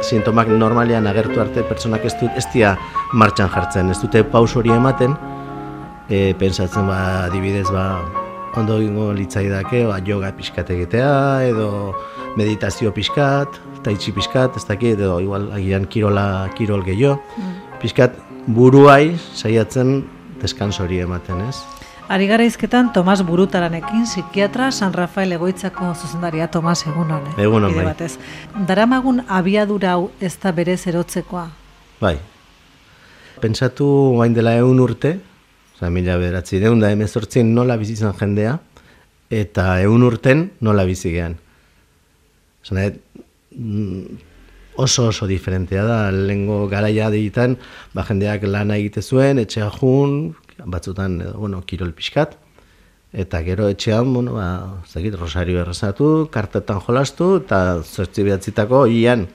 sintomak normalean agertu arte pertsonak ez dira martxan jartzen, ez dute paus hori ematen, pentsatzen adibidez ondo egingo litzaidake yoga pixkat egitea, edo meditazio pixkat, tai chi pixkat, ez dakit, edo igual agian kirol gehiago, pixkat buruai saiatzen deskanso hori ematen, ez? Ari gara izketan Tomas Burutaranekin, psikiatra San Rafael egoitzako zuzendaria. Tomas, egunon. Egunon, bai. Daramagun abiadura hau ez da berez erotzekoa? Bai. Pentsatu gain dela 100 urte, 1918 nola bizitzen jendea, eta 100 urten nola bizi gean. Oso diferentea da, lehengo garaia digitan, jendeak lana egite zuen, etxea jun, batzutan, kirol pixkat, eta gero etxean, rosario errezatu, kartetan jolastu, eta 8-9 ian,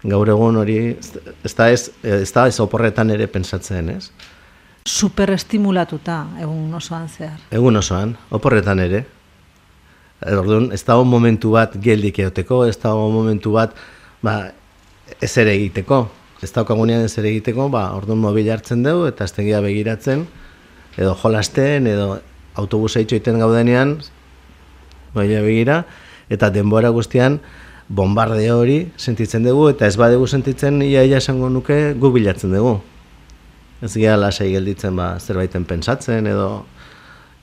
gaur egun hori, ez da ez oporretan ere pentsatzen, ez? Superestimulatuta egun osoan zehar. Egun osoan, oporretan ere. Orduan, ez dago momentu bat geldik egoteko, ez dago momentu bat ez ere egiteko. Ez daukagunean ez ere egiteko, orduan mobil hartzen dugu eta aztegia begiratzen, edo jolasten, edo autobusa itxoiten gaudenean, mobila begira, eta denbora guztian bombarde hori sentitzen dugu, eta ez badugu sentitzen, ia esango nuke gu bilatzen dugu. Ez gira lasai gelditzen zerbaiten pentsatzen, edo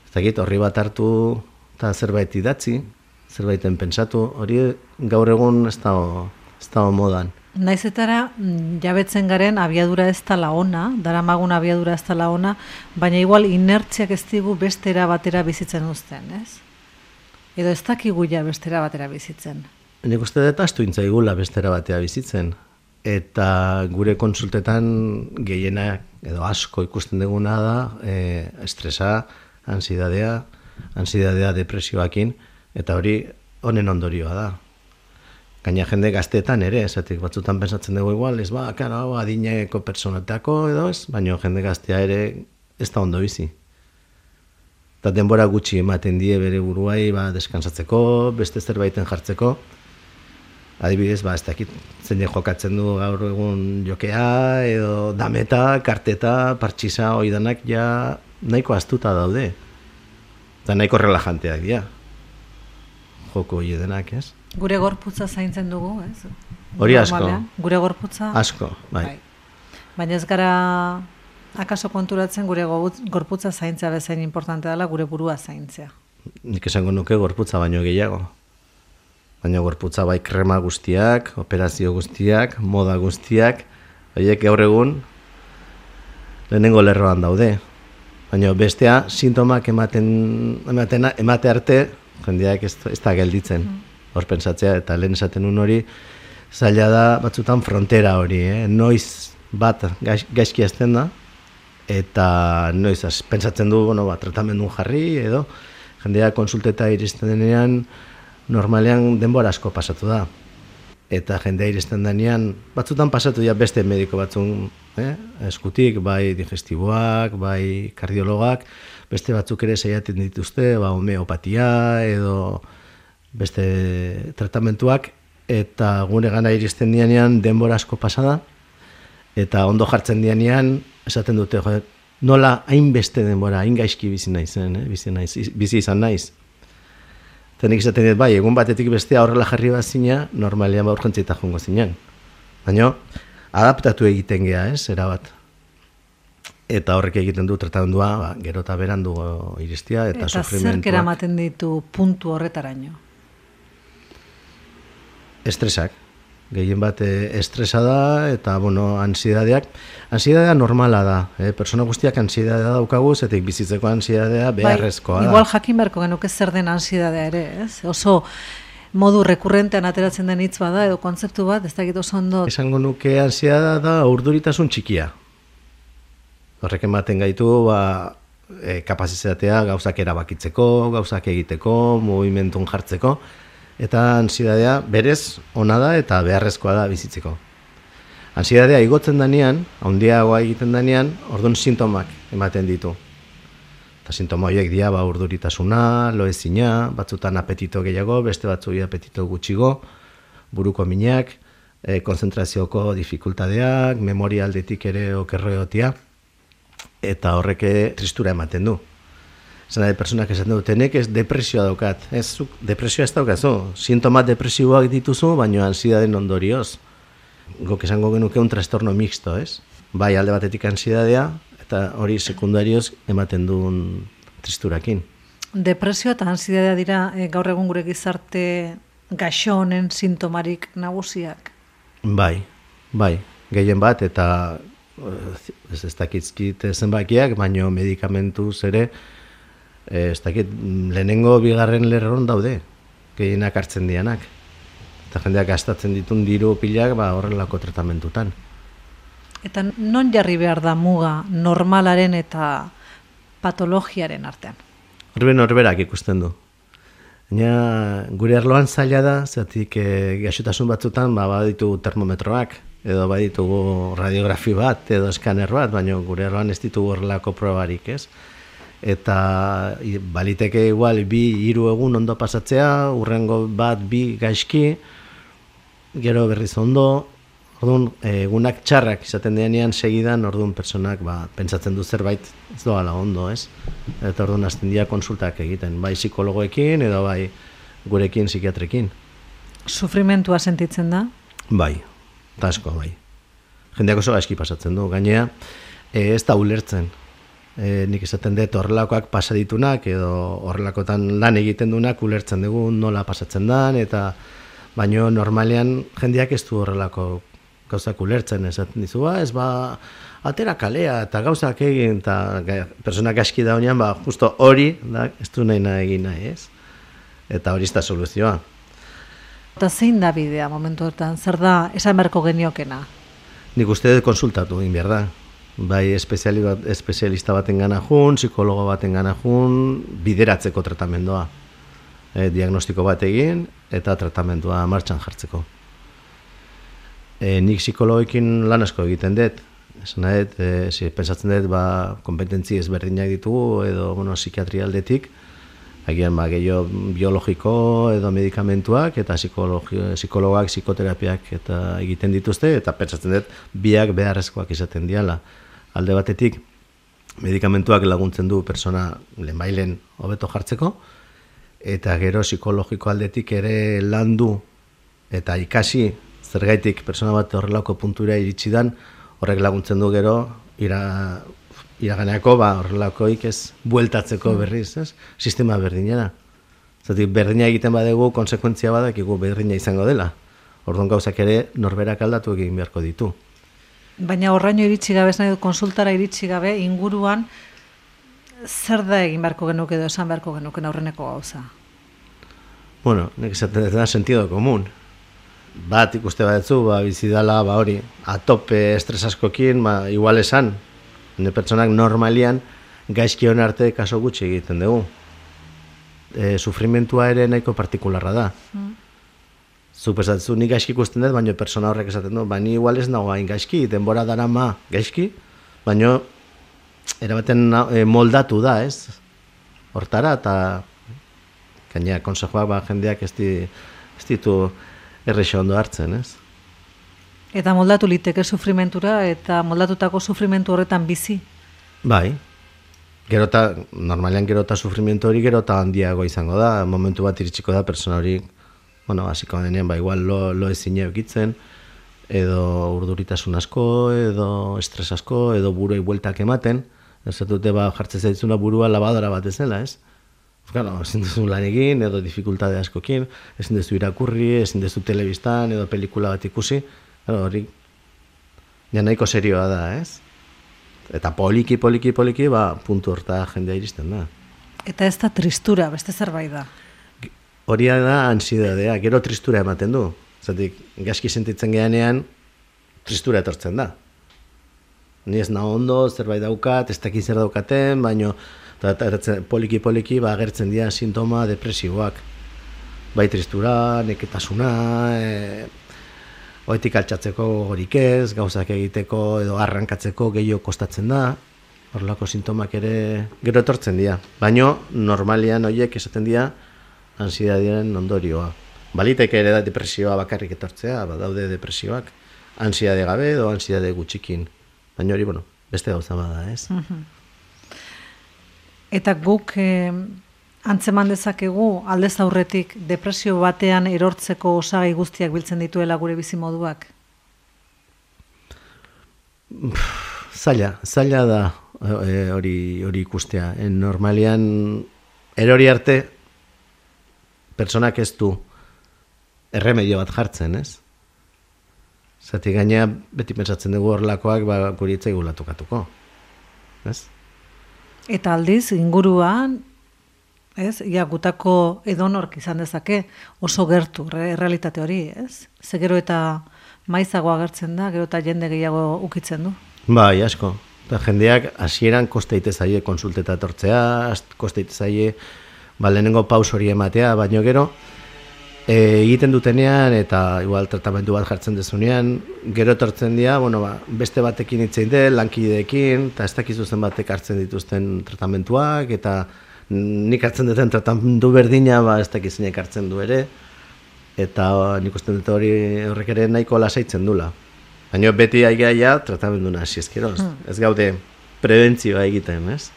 ez dakit horri bat hartu eta zerbait idatzi, zerbaiten pentsatu, hori gaur egun ez dago modan. Naizetara jabetzen garen abiadura ez dela ona, daramagun abiadura ez dela ona, baina igual inertziak ez digu bestera batera bizitzen uzten, ez? Edo ez dakigu ja bestera batera bizitzen. Nik uste dut astu intzaigula bestera batera bizitzen, eta gure konsultetan gehienak edo asko ikusten duguna da estresa, ansiedadea, depresioakin, eta hori honen ondorioa da. Gaina jende gazteetan ere, esatik batzutan pensatzen dugu igual, ez adineko personatako edo ez, baina jende gaztea ere ez da ondo bizi. Eta denbora gutxi ematen die bere buruai deskansatzeko, beste zerbaiten jartzeko. Adibidez, ez dakit, zein jokatzen du gaur egun jokea, edo dameta, karteta, partxisa, oidanak ja nahiko astuta daude. Eta nahiko relajanteak dira. Joko hori denak, ez? Gure gorputza zaintzen dugu, ez? Hori asko. Gure gorputza? Asko, bai. Baina ez gara akaso konturatzen gure gorputza zaintzea bezain importante dela gure burua zaintzea. Nik esango nuke gorputza baino gehiago. Baina gorputza bai krema guztiak, operazio guztiak, moda guztiak, horiek gaur egun lehenengo lerroan daude. Baina bestea sintomak emate arte jendeak ez da gelditzen. Hor pentsatzea, eta lehen esaten hori, zaila da batzutan frontera hori, noiz bat gaizki azten da, eta noiz pentsatzen du, tratamendun jarri, edo jendeak konsulteta iristen denean, normalean denbora asko pasatu da. Eta jendea iristen denean, batzutan pasatu dira beste mediko batzun eskutik, bai digestiboak, bai kardiologak, beste batzuk ere saiatzen dituzte, homeopatia, edo beste tratamentuak, eta gure gana iristen dianean denbora asko pasada, eta ondo jartzen dianean, esaten dute, nola hainbeste denbora, hain gaizki bizi izan naiz. Tenik esaten dut, bai, egun batetik bestea horrela jarri bat zina, normalean urgentzietan jongo zinen. Baina, adaptatu egiten gea, erabat. Eta horrek egiten du tratamendua, gero eta berandu iristia, eta sufrimentuak. Eta zerk eramaten ditu puntu horretaraino? Estresak. Gehien bat estresa da, eta, ansidadeak. Ansiedadea normala da. Persona guztiak ansiedadea daukagu, zetik bizitzeko ansiedadea beharrezkoa da. Igual jakin beharko genuke zer den ansiedadea ere, ez? Oso modu rekurrentean ateratzen den hitz bada, edo kontzeptu bat, ez dakit oso ondo. Esango nuke ansiedadea da urduritasun txikia. Horrek ematen gaitu, kapazitatea gauzak erabakitzeko, gauzak egiteko, mugimentun jartzeko, eta ansiedadea berez ona da eta beharrezkoa da bizitzeko. Ansiedadea igotzen danean, handiagoa egiten danean, orduan sintomak ematen ditu. Eta sintoma horiek dira urduritasuna, loezina, batzutan apetito gehiago, beste batzuei apetito gutxigo, buruko minak, konzentrazioko dificultadeak, memoria aldetik ere okerro egotia, eta horreke tristura ematen du. Zena de personak esaten dutenek ez depresioa daukat. Ez, depresioa ez daukazu. Sintomat depresiboak dituzu, baina ansidaden ondorioz. Gok esango genuke un trastorno mixto, ez? Bai alde batetik ansiedadea, eta hori sekundarioz ematen duen tristurakin. Depresioa eta ansiedadea dira gaur egun gure gizarte gaixo honen sintomarik nagusiak. Bai, gehien bat, eta ez dakizkit zenbakiak, baino medikamentuz ere, ez dakit lehenengo bigarren lerron daude, gehienak hartzen dianak. Eta jendeak gastatzen ditun diru pilak horrelako tratamentutan. Eta non jarri behar da muga normalaren eta patologiaren artean? Norberak ikusten du. Baina gure arloan zaila da, zatik gaixotasun batzutan baditugu termometroak, edo baditugu radiografi bat, edo eskaner bat, baina gure arloan ez ditugu horrelako probarik, ez? Eta baliteke igual 2-3 egun ondo pasatzea, urrengo bat 2 gaizki, gero berriz ondo, orduan egunak txarrak izaten denean segidan, orduan personak pentsatzen du zerbait ez doala ondo, ez? Eta orduan hasten dira konsultak egiten, bai psikologoekin edo bai gurekin psikiatrekin. Sufrimentua sentitzen da? Bai, eta asko bai. Jendeak oso gaizki pasatzen du, gainea ez da ulertzen. Nik esaten dut horrelakoak pasaditunak edo horrelakotan lan egiten dunak ulertzen dugu nola pasatzen dan, eta baino normalean jendeak ez du horrelako gauzak ulertzen, esaten dizu, ez atera kalea eta gauzak egin, eta personak aski da honean, justo hori da, ez du nahi egin nahi, ez? Eta hori ez da soluzioa. Eta zein da bidea momentu hortan, zer da esan beharko geniokena? Nik uste dut konsultatu egin behar da. Bai espezialista baten gana jun, psikologo baten gana jun, bideratzeko tratamendua. Diagnostiko bat egin eta tratamendua martxan jartzeko. Nik psikologekin lan asko egiten dut. Esan dut, pentsatzen dut, kompetentzi ezberdinak ditugu edo psikiatria aldetik, agian gehiago biologiko edo medikamentuak eta psikologoak, psikoterapiak eta egiten dituzte, eta pentsatzen dut biak beharrezkoak izaten diala. Alde batetik, medikamentuak laguntzen du persona lehenbailen hobeto jartzeko, eta gero psikologiko aldetik ere landu eta ikasi zergaitik persona bat horrelako puntura iritsi dan, horrek laguntzen du gero iraganeako horrelakoik ez bueltatzeko berriz, ez? Sistema berdinera. Zatik berdina egiten badegu, konsekuentzia badakigu berdina izango dela. Orduan gauzak ere norberak aldatu egin beharko ditu. Baina horraino iritsi gabe, ez nahi dut konsultara iritsi gabe, inguruan zer da egin beharko genuke edo esan beharko genuke aurreneko gauza? Bueno, nik esaten da sentido komun. Bat ikuste badetzu, bizidala, hori, atope estres askokin, igual esan, pertsonak normalian gaizki hon arte kaso gutxi egiten dugu. Sufrimentua ere nahiko partikularra da. Zuk esatzu, nik gaizki ikusten dut, baina persona horrek esaten du, ni igual ez nago hain gaizki, denbora dara gaizki, baina erabaten moldatu da, ez? Hortara, eta gainera, konsejoak jendeak ez ditu errexo ondo hartzen, ez? Eta moldatu liteke sufrimentura eta moldatutako sufrimentu horretan bizi? Bai. Normalean gerota sufrimentu hori gerota handiago izango da. Momentu bat iritsiko da persona hori, hasiko denean, igual lo ezin eukitzen, edo urduritasun asko, edo estres asko, edo buruei bueltak ematen. Ez dute jartzen zaitzuna burua labadora bat ez dela, ez? Ezin duzu lan egin, edo dificultade askokin, ezin duzu irakurri, ezin duzu telebistan, edo pelikula bat ikusi. Hori, nahiko serioa da, ez? Eta poliki, puntu horta jendea iristen da. Eta ez da tristura, beste zerbait da? Hori da ansiedadea, gero tristura ematen du. Zatik, gaizki sentitzen geanean, tristura etortzen da. Ni ez naho ondo, zerbait daukat, ez dakit zer daukaten, baina poliki agertzen dira sintoma depresiboak. Bai tristura, neketasuna, oetik altxatzeko gorik ez, gauzak egiteko edo arrankatzeko gehiago kostatzen da, horrelako sintomak ere gero etortzen dira. Baina normalian horiek esaten dira ansiedadiaren ondorioa. Baliteke ere da depresioa bakarrik etortzea, badaude depresioak, ansiade gabe edo ansiade gutxikin. Baina hori, beste gauza bada, ez? Eta guk antzeman dezakegu aldez aurretik depresio batean erortzeko osagai guztiak biltzen dituela gure bizimoduak? Zaila da hori ikustea. Normalian, erori arte, personak ez du erremedio bat jartzen, ez? Zati gaina beti pentsatzen dugu horlakoak guri itzaigu latukatuko, ez? Eta aldiz, inguruan, ez? Ia gutako edonork izan dezake oso gertu errealitate hori, ez? Ze gero eta maizago agertzen da, gero eta jende gehiago ukitzen du. Bai, asko. Eta jendeak hasieran koste ite zaie konsulteta etortzea, koste ite zaie lehenengo paus hori ematea, baino gero egiten dutenean eta igual tratamendu bat jartzen dezunean, gero etortzen dira, beste batekin hitzein de, lankideekin, eta ez dakizu zen batek hartzen dituzten tratamentuak, eta nik hartzen duten tratamendu berdina, ez dakizenek hartzen du ere, eta nik usten dut horrek ere nahiko lasaitzen dula. Baina beti aigaia tratamendu nasi ezkeroz. Ez gaude prebentzioa egiten, ez?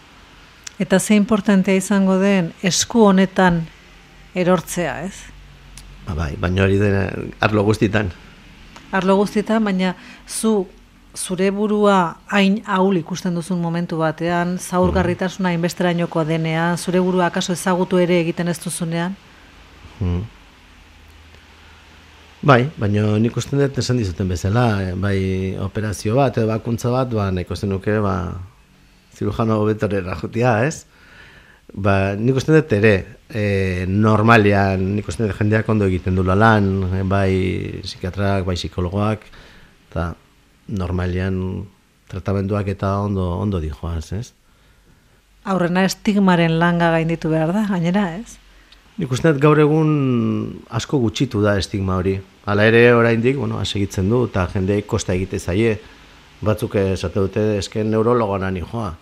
Eta ze importantea izango den esku honetan erortzea, ez? Baina hori dena arlo guztitan. Arlo guztitan, baina zure burua hain ahul ikusten duzun momentu batean, zaurgarritasuna hainbesterainoko denean, zure burua akaso ezagutu ere egiten ez duzunean? Baina nik usten dut esan dizuten bezala, operazio bat edo bakuntza bat, nahiko zenuke zirujano betorera jutia, ez? Nik usten dut ere, normalian, nik usten dut jendeak ondo egiten dula lan, bai psikiatrak, bai psikologoak, eta normalian tratamenduak eta ondo dijoaz, ez? Aurrena estigmaren langa gainditu behar da, gainera, ez? Nik uste dut gaur egun asko gutxitu da estigma hori. Hala ere oraindik, segitzen du, eta jendeik kosta egite zaie. Batzuk esate dute esken neurologana nijoa.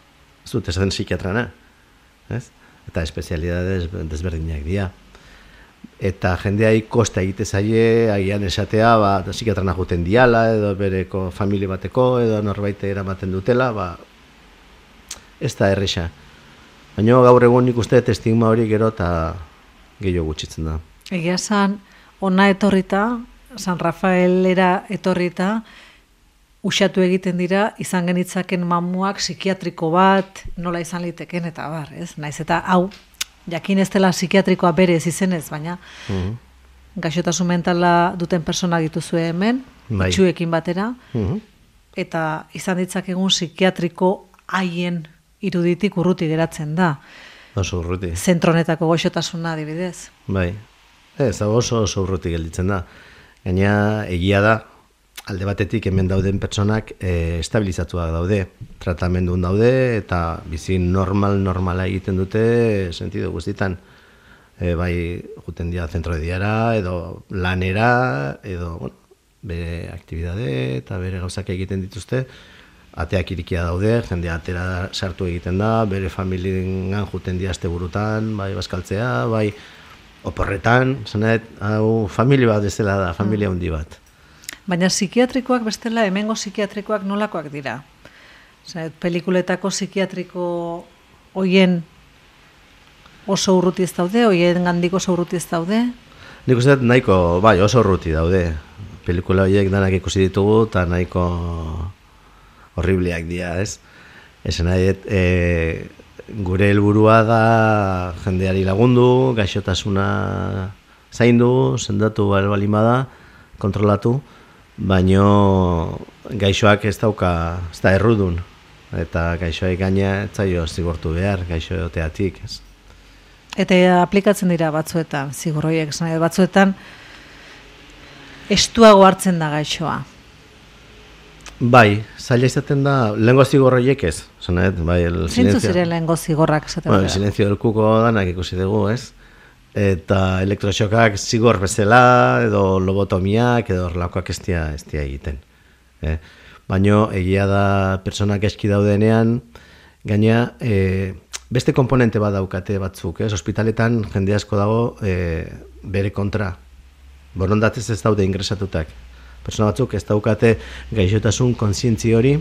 Ez dut esaten psikiatrana. Ez? Eta espezialidades desberdinak dira. Eta jendeai kosta egite zaie, agian esatea, psikiatrana juten diala, edo bereko familia bateko, edo norbait eramaten dutela, ez da erresa. Baina gaur egun nik uste dut estigma hori gero eta gehiago gutxitzen da. Egia esan, ona etorrita, San Rafaelera etorrita, usatu egiten dira, izan genitzaken mamuak psikiatriko bat, nola izan liteken eta bar, ez? Naiz eta hau, jakin ez dela psikiatrikoa berez izenez, baina gaixotasun mentala duten personak dituzue hemen, itxuekin batera, eta izan ditzakegun psikiatriko haien iruditik urruti geratzen da. Oso urruti. Zentronetako goxotasuna adibidez. Bai, ez oso urruti gelditzen da. Gaina egia da, alde batetik hemen dauden pertsonak estabilizatuak daude, tratamendun daude, eta bizi normala egiten dute sentido guztitan. Bai, juten dira zentro de diara, edo lanera, edo bere aktibidade eta bere gauzak egiten dituzte, ateak irikia daude, jende atera sartu egiten da, bere familiengan juten dira asteburutan, bai bazkaltzea, bai oporretan, zanet, hau familia bat bezala da, familia handi bat. Baina psikiatrikoak bestela, hemengo psikiatrikoak nolakoak dira? Zanet, pelikuletako psikiatriko hoien oso urruti ez daude, hoien gandik oso urruti ez daude? Nik uste nahiko, bai, oso urruti daude. Pelikula horiek danak ikusi ditugu, eta nahiko horribleak dira, ez? Esan nahi, gure helburua da jendeari lagundu, gaixotasuna zaindu, sendatu balin bada, kontrolatu, baino gaixoak ez da errudun, eta gaixoak gaina etzaio zigortu behar, gaixo egoteatik, ez? Eta aplikatzen dira batzuetan, zigor horiek, batzuetan estuago hartzen da gaixoa. Bai, zaila izaten da, lehengo zigor horiek ez. Zintzu ziren lehengo zigorrak esaten da? El silencio del kuko danak ikusi dugu, ez? Eta elektroxokak zigor bezala, edo lobotomiak, edo horlakoak ez dira egiten. Baina egia da pertsonak eski daudenean, gaina beste komponente bat daukate batzuk, ez? Hospitaletan jende asko dago bere kontra. borondatez ez daude ingresatutak. Persona batzuk ez daukate gaixotasun kontzientzi hori,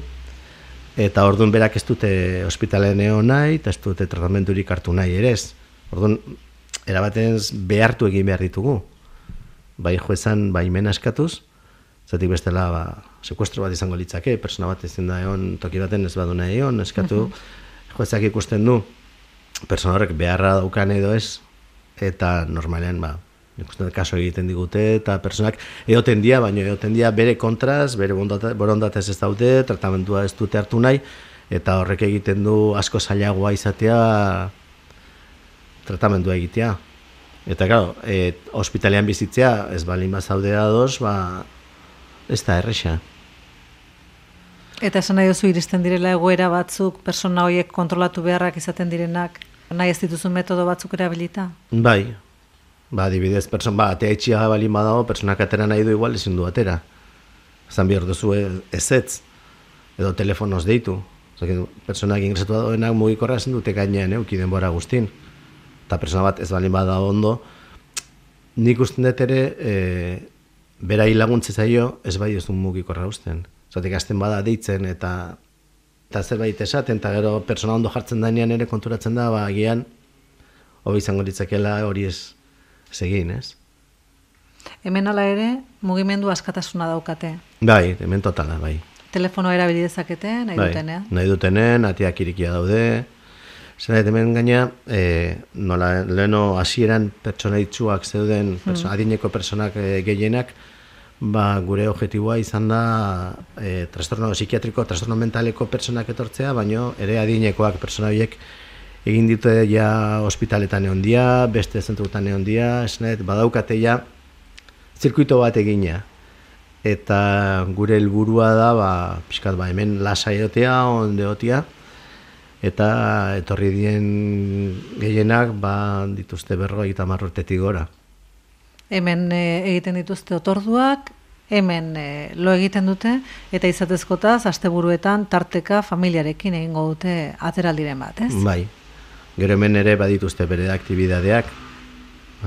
eta orduan berak ez dute ospitalean egon nahi, eta ez dute tratamendurik hartu nahi ere ez. Orduan, erabaten behartu egin behar ditugu. Bai joezan, bai mena eskatuz, zatik bestela sekuestro bat izango litzake, persona bat ezin da egon, toki baten ez badu nahi egon, eskatu, joezak ikusten du, persona horrek beharra daukan edo ez, eta normalean, ikusten kaso egiten digute, eta personak edoten dia, baina edoten dia bere kontraz, bere borondatez ez daude, tratamentua ez dute hartu nahi, eta horrek egiten du asko zailagoa izatea tratamendua egitea. Eta, claro, ospitalean bizitzea, ez balin bazaudea ados, ez da erresa. Eta esan nahi duzu iristen direla egoera batzuk, persona horiek kontrolatu beharrak izaten direnak, nahi ez dituzu metodo batzuk erabilita? Bai, adibidez, atea itxia balin badago, personak atera nahi du igual ezin du atera. Zan behar duzu ezetz, edo telefonoz deitu. Personak ingresatu dagoenak mugikorra ezin dute gainean euki denbora guztin. Eta persona bat ez balin bada ondo, nik usten dut ere, berai laguntze zaio ez bai ez du mugikorra usten. Zatek azten bada deitzen eta zerbait esaten, eta gero persona ondo jartzen dainean ere konturatzen da, agian, hobi izango ditzakela hori ez egin, ez? Hemen ala ere, mugimendu askatasuna daukate. Bai, hemen totala, bai. Telefono erabili dezakete, nahi dutenean? Nahi dutenen, atiak irikia daude. Zena, hemen gaina, leheno hasieran pertsona itxuak zeuden, adineko personak gehienak, gure objetiboa izan da trastorno psikiatriko, trastorno mentaleko personak etortzea, baino ere adinekoak persona horiek egin dute ja ospitaletan egon dia, beste zentrutan egon dia, badaukate ja zirkuito bat egina. Eta gure helburua da, pixkat hemen lasai egotea, onde egotea, eta etorri dien gehienak dituzte 50 urtetik gora. Hemen egiten dituzte otorduak, hemen lo egiten dute, eta izatezkotaz, asteburuetan tarteka familiarekin egingo dute ateraldiren bat, ez? Bai, gero hemen ere badituzte bere aktibidadeak.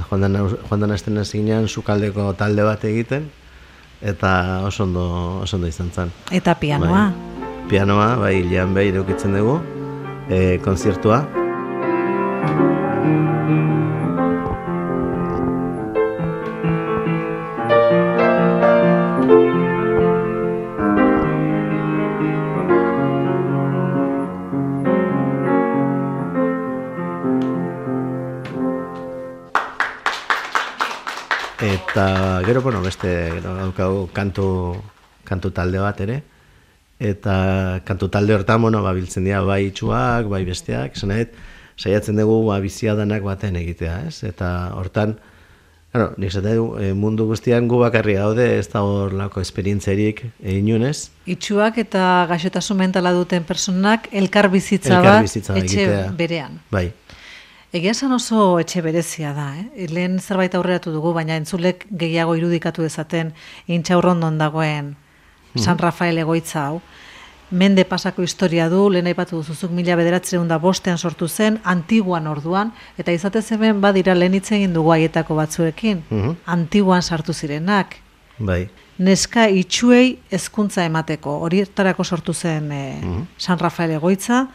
Joan den asten zinean sukaldeko talde bat egiten, eta oso ondo izan zen. Eta pianoa? Pianoa, hilean behi edukitzen dugu, konzertua. Eta gero, beste daukagu kantu talde bat ere, eta kantu talde hortan, biltzen dira bai itxuak, bai besteak, saiatzen dugu biziadanak baten egitea, ez? Eta hortan, nik zaten du, mundu guztian gu bakarri gaude, ez da hor lako esperientzerik inunez. Itxuak eta gaixotasun mentala duten personak elkar bizitza etxe berean. Bai. Egia esan oso etxe berezia da, Lehen zerbait aurreratu dugu, baina entzulek gehiago irudikatu dezaten Intxaurrondon dagoen San Rafael egoitza hau. Mende pasako historia du, lehen aipatu duzuzuk 1905 sortu zen, Antiguan orduan, eta izatez hemen badira lehen hitz egin dugu haietako batzuekin, Antiguan sartu zirenak. Bai. Neska itxuei hezkuntza emateko, horietarako sortu zen San Rafael egoitza.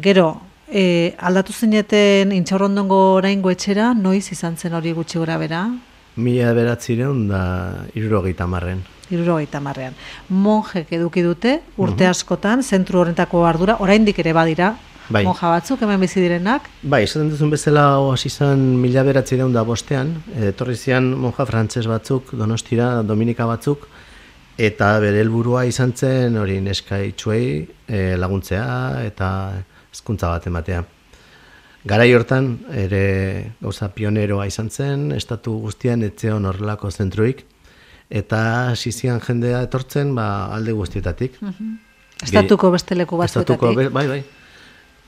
Gero, aldatu zineten Intxaurrondongo oraingo etxera, noiz izan zen hori gutxi gora bera? 1970. 70. Monjek eduki dute, urte askotan, zentru horretako ardura, oraindik ere badira, monja batzuk, hemen bizi direnak? Bai, esaten duzun bezala hasi izan 1905 etorri zian monja frantses batzuk, Donostira, Dominika batzuk, eta bere helburua izan zen hori neska itxuei laguntzea eta hezkuntza bat ematea. Garai hortan ere gauza pioneroa izan zen, estatu guztian etzeon horrelako zentruik, eta hasi zian jendea etortzen alde guztietatik. Estatuko beste leku batzuetatik. Bai.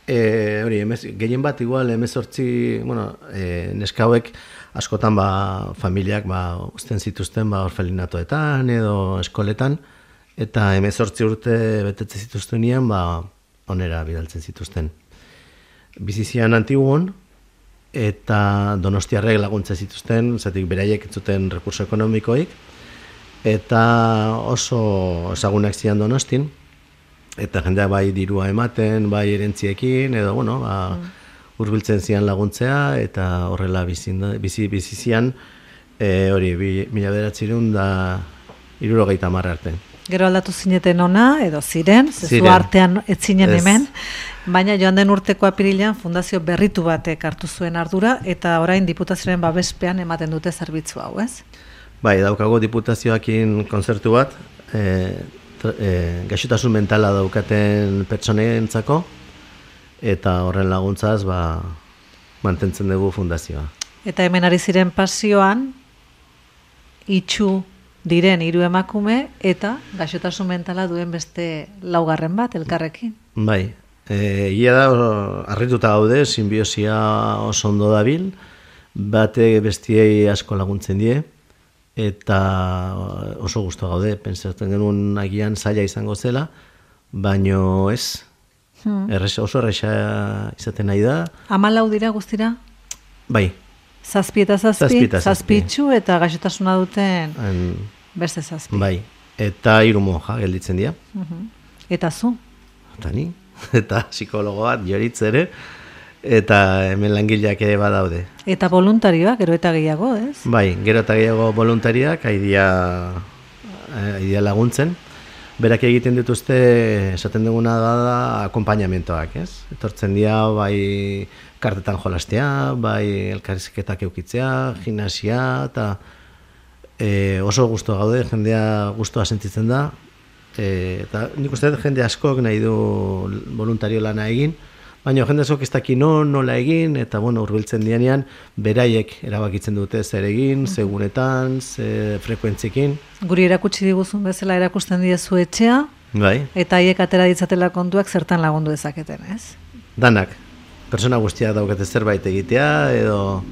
Hori, gehien bat igual 18, neska hauek askotan familiak uzten zituzten orfelinatoetan edo eskoletan, eta 18 urte betetze zituztenean onera bidaltzen zituzten. Bizizian Antiguan, eta donostiarrek laguntza zituzten, zatik beraiek ez zuten rekurso ekonomikoik, eta oso ezagunak zian Donostin, eta jendeak bai dirua ematen, bai erentziekin, edo, bueno, hurbiltzen zian laguntzea, eta horrela bizi zian, hori, 1970 arte. Gero aldatu zineten ona, edo ziren, zezu artean ez zinen hemen, baina joan den urteko apirilean fundazio berritu batek hartu zuen ardura, eta orain diputazioaren babespean ematen dute zerbitzu hau, ez? Bai, daukago diputazioakin kontzertu bat, gaixotasun mentala daukaten pertsonentzako, eta horren laguntzaz mantentzen dugu fundazioa. Eta hemen ari ziren pasioan, itxu diren 3 emakume eta gaixotasun mentala duen beste 4 bat elkarrekin. Bai, ia da harrituta gaude, sinbiosia oso ondo dabil, bate bestiei asko laguntzen die, eta oso gustu gaude, pentsatzen genuen agian zaila izango zela, baino ez, oso erresa izaten nahi da. 14 dira guztira? Bai. 7 eta 7, 7 itxu eta gaixotasuna duten beste 7. Bai, eta 3 monja gelditzen dira. Eta zu? Eta ni, eta psikologo bat, joritz ere, eta hemen langileak ere badaude. Eta voluntarioak, gero eta gehiago, ez? Bai, gero eta gehiago voluntariak, haidia laguntzen. Berak egiten dituzte, esaten duguna da, akompainamentoak, ez? Etortzen dira, bai, kartetan jolastea, bai, elkarrizketak eukitzea, gimnasia, eta oso gustu gaude, jendea gustua sentitzen da, eta nik uste jende askok nahi du voluntario lana egin, baina jende askok ez daki nola egin, eta bueno, hurbiltzen dianean, beraiek erabakitzen dute zer egin, segunetan, frekuentziekin. Guri erakutsi diguzun bezala erakusten diezu etxea, bai. Eta haiek atera ditzatela kontuak zertan lagundu dezaketen, ez? Danak, persona guztiak daukate zerbait egitea, edo...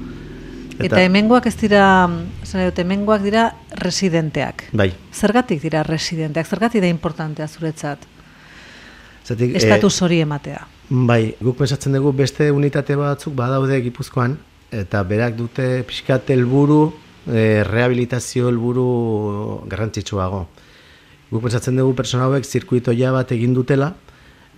Eta hemengoak ez dira, hemengoak dira residenteak. Bai. Zergatik dira residenteak, zergatik da importantea zuretzat? Zatik, estatus hori ematea. Bai, guk pensatzen dugu beste unitate batzuk badaude Gipuzkoan, eta berak dute pixkat helburu, rehabilitazio helburu garrantzitsuago. Guk pensatzen dugu pertsona hauek zirkuitoia bat egin dutela,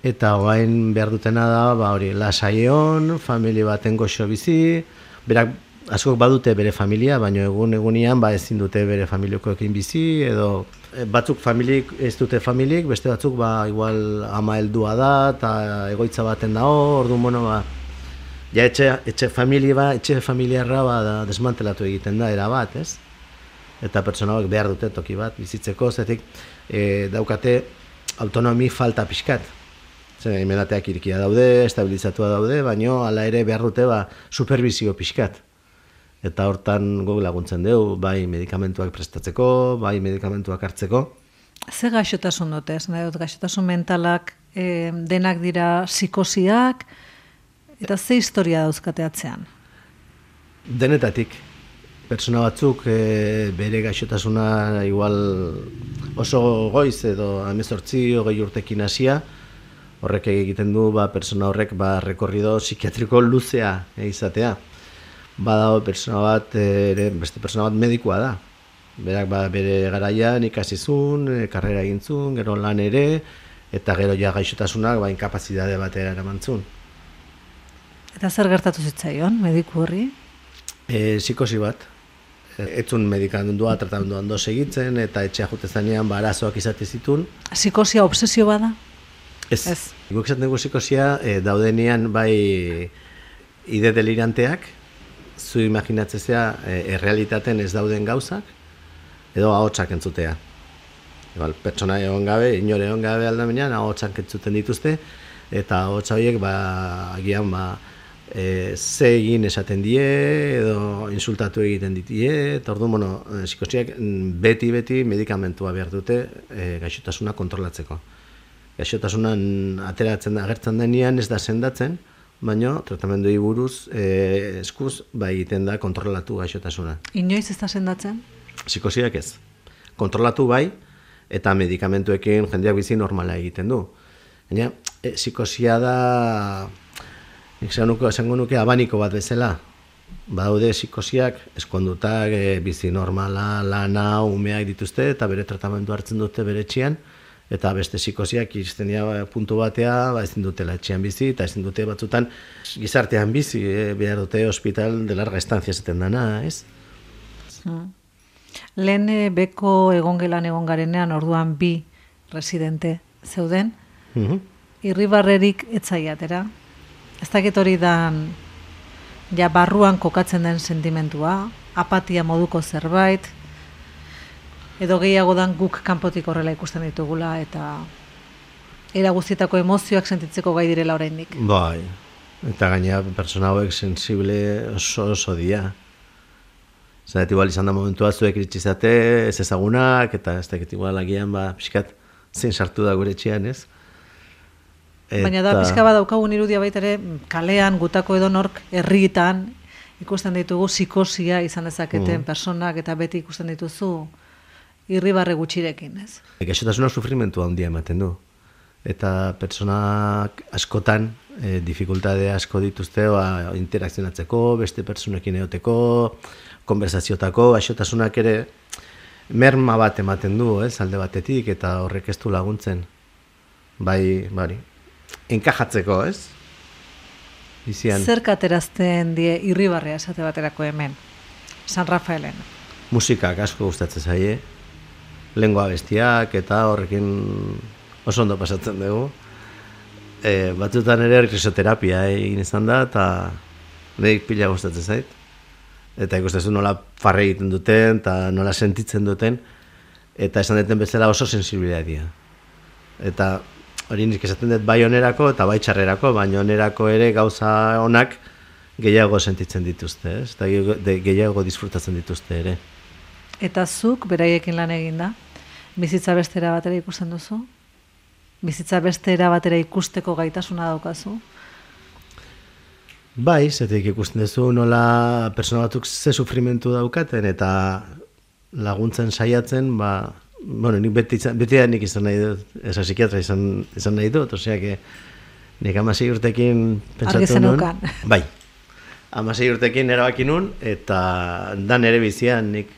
eta orain behar dutena da, hori, lasaion, familia baten goxo bizi, berak askok badute bere familia, baina egunean ezin dute bere familiokoekin bizi, edo batzuk familik ez dute familik, beste batzuk igual ama heldua da, eta egoitza baten dago, orduan, bueno, ja etxe familiarra desmantelatu egiten da, erabat, ez? Eta pertsona hauek behar dute toki bat bizitzeko, zetik daukate autonomi falta pixkat. Emendateak irikia daude, estabilizatua daude, baina hala ere behar dute supervisio pixkat. Eta hortan guk laguntzen dugu, bai medikamentuak prestatzeko, bai medikamentuak hartzeko. Ze gaixotasun dute, gaixotasun mentalak denak dira psikosiak, eta ze historia dauzkate atzean? Denetatik. Pertsona batzuk bere gaixotasuna igual oso goiz edo 18-20 urtekin hasia, horrek egiten du pertsona horrek rekorrido psikiatriko luzea izatea. Badago pertsona bat, beste pertsona bat medikua da. Berak bere garaian ikasizun, karrera egintzun, gero lan ere, eta gero ja gaixotasunak inkapazitate batera eramantzun. Eta zer gertatu zitzaion, mediku horri? Psikosi bat. Etzun medikamendua, tratamendua ondo segitzen, eta etxea jute zanean arazoak izate zitun. Psikosia obsesio bada? Ez. Guk esaten dugu psikosia daudenean ide deliranteak, zu imaginatzea errealitaten ez dauden gauzak, edo ahotsak entzutea. Pertsona egon gabe, inore egon gabe aldamenean, ahotsak entzuten dituzte, eta ahotsa horiek agian ze egin esaten die, edo insultatu egiten ditie, eta orduan, psikosiak beti medikamentua behar dute gaixotasuna kontrolatzeko. Gaixotasunan agertzen denean ez da sendatzen, baina tratamendui buruz eskuz egiten da kontrolatu gaixotasuna. Inoiz ez da sendatzen? Psikosiak ez. Kontrolatu bai, eta medikamentuekin jendeak bizi normala egiten du. Baina psikosia da, esango nuke abaniko bat bezala. Badaude psikosiak eskondutak, bizi normala, lana, umeak dituzte, eta bere tratamendu hartzen dute bere etxean, eta beste psikosiak iristen dira puntu batea, ezin dutela etxean bizi, eta ezin dute batzutan gizartean bizi, behar dute hospital de larga estancia esaten dana, ez? Lehen beko egongelan egon garenean, orduan bi residente zeuden, irribarrerik etzaiatera. Ez dakit hori dan ja barruan kokatzen den sentimentua, apatia moduko zerbait, edo gehiago dan guk kanpotik horrela ikusten ditugula, eta era guztietako emozioak sentitzeko gai direla oraindik. Bai, eta gainera persona hauek sensible oso dia. Zaret igual izan da momentua zuek iritsizate, ez ezagunak, eta ez dakit igual agian, pixkat zein sartu da gure etxean, ez? Baina da, pixka bat daukagun irudia baita ere, kalean, gutako edonork, herritan, ikusten ditugu psikosia izan dezaketen personak, eta beti ikusten dituzu irribarre gutxirekin, ez? Gaixotasuna sufrimentu handia ematen du. Eta pertsonak askotan, dificultade asko dituzte, interakzionatzeko, beste pertsonekin egoteko, konversazioetako, gaixotasunak ere merma bat ematen du, ez, alde batetik, eta horrek ez du laguntzen. Bari, enkajatzeko, ez? Bizian. Zer katerazten die irribarrea esate baterako hemen, San Rafaelen? Musikak asko gustatzen zaie, lengua bestiak, eta horrekin oso ondo pasatzen dugu. Batzutan ere risoterapia egin izan da, eta nire pila gustatzen zait. Eta ikustezu nola farre egiten duten, eta nola sentitzen duten, eta esan duten bezala oso sensibilidad dira. Eta hori nik esaten dut bai onerako eta bai txarrerako, baina onerako ere gauza onak gehiago sentitzen dituzte, ez? Eta gehiago disfrutatzen dituzte ere. Eta zuk beraiekin lan egin da? Bizitza bestera batera ikusten duzu? Bizitza bestera batera ikusteko gaitasuna daukazu? Bai, zetik ikusten duzu nola persona batzuk ze sufrimentu daukaten eta laguntzen saiatzen, nik beti nik izan nahi dut, eza psikiatra izan nahi dut, osea, nik 16 urtekin pentsatu nun. Bai, 16 urtekin erabaki nun, eta da nere bizian nik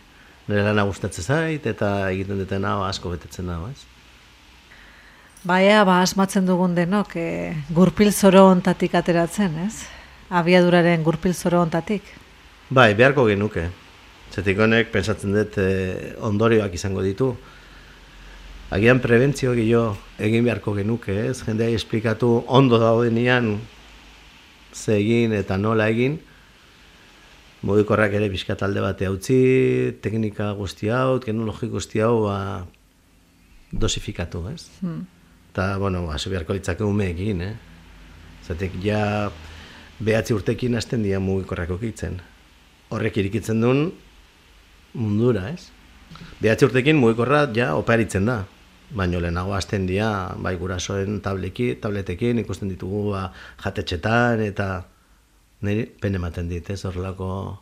nire lana gustatzen zait, eta egiten duten hau asko betetzen dago, ez? Baina, asmatzen dugun denok, gurpil zoro ontatik ateratzen, ez? Abiaduraren gurpil zoro ontatik. Bai, beharko genuke. Zetik honek, pentsatzen dut, ondorioak izango ditu. Agian prebentzio gehiago egin beharko genuke, ez? Jendeai esplikatu ondo daudenean ze egin eta nola egin. Mugikorrak ere pixka talde bate utzi, teknika guzti hau, teknologi guzti hau dosifikatu, ez? Eta, hasi beharko litzake umeekin, Zatek, ja 9 urtekin hasten dira mugikorrak ukitzen. Horrek irikitzen duen mundura, ez? 9 urtekin mugikorra ja oparitzen da. Baina lehenago hasten dira, bai gurasoen tabletekin ikusten ditugu jatetxetan, eta niri pen ematen dit, ez? Horrelako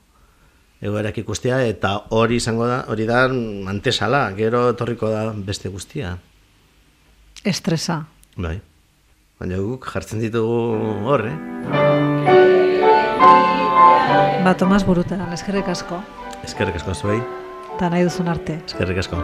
egoerak ikustea, eta hori izango da, hori da antesala, gero etorriko da beste guztia. Estresa. Bai. Baina guk jartzen ditugu hor, Tomas Burutaran, eskerrik asko. Eskerrik asko zuei. Eta nahi duzun arte. Eskerrik asko.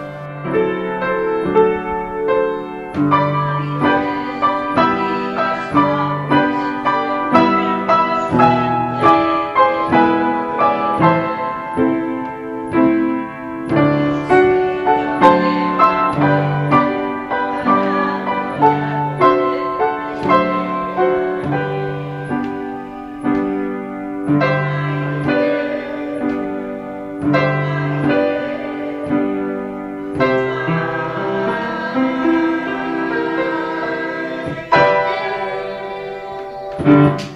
Thank you.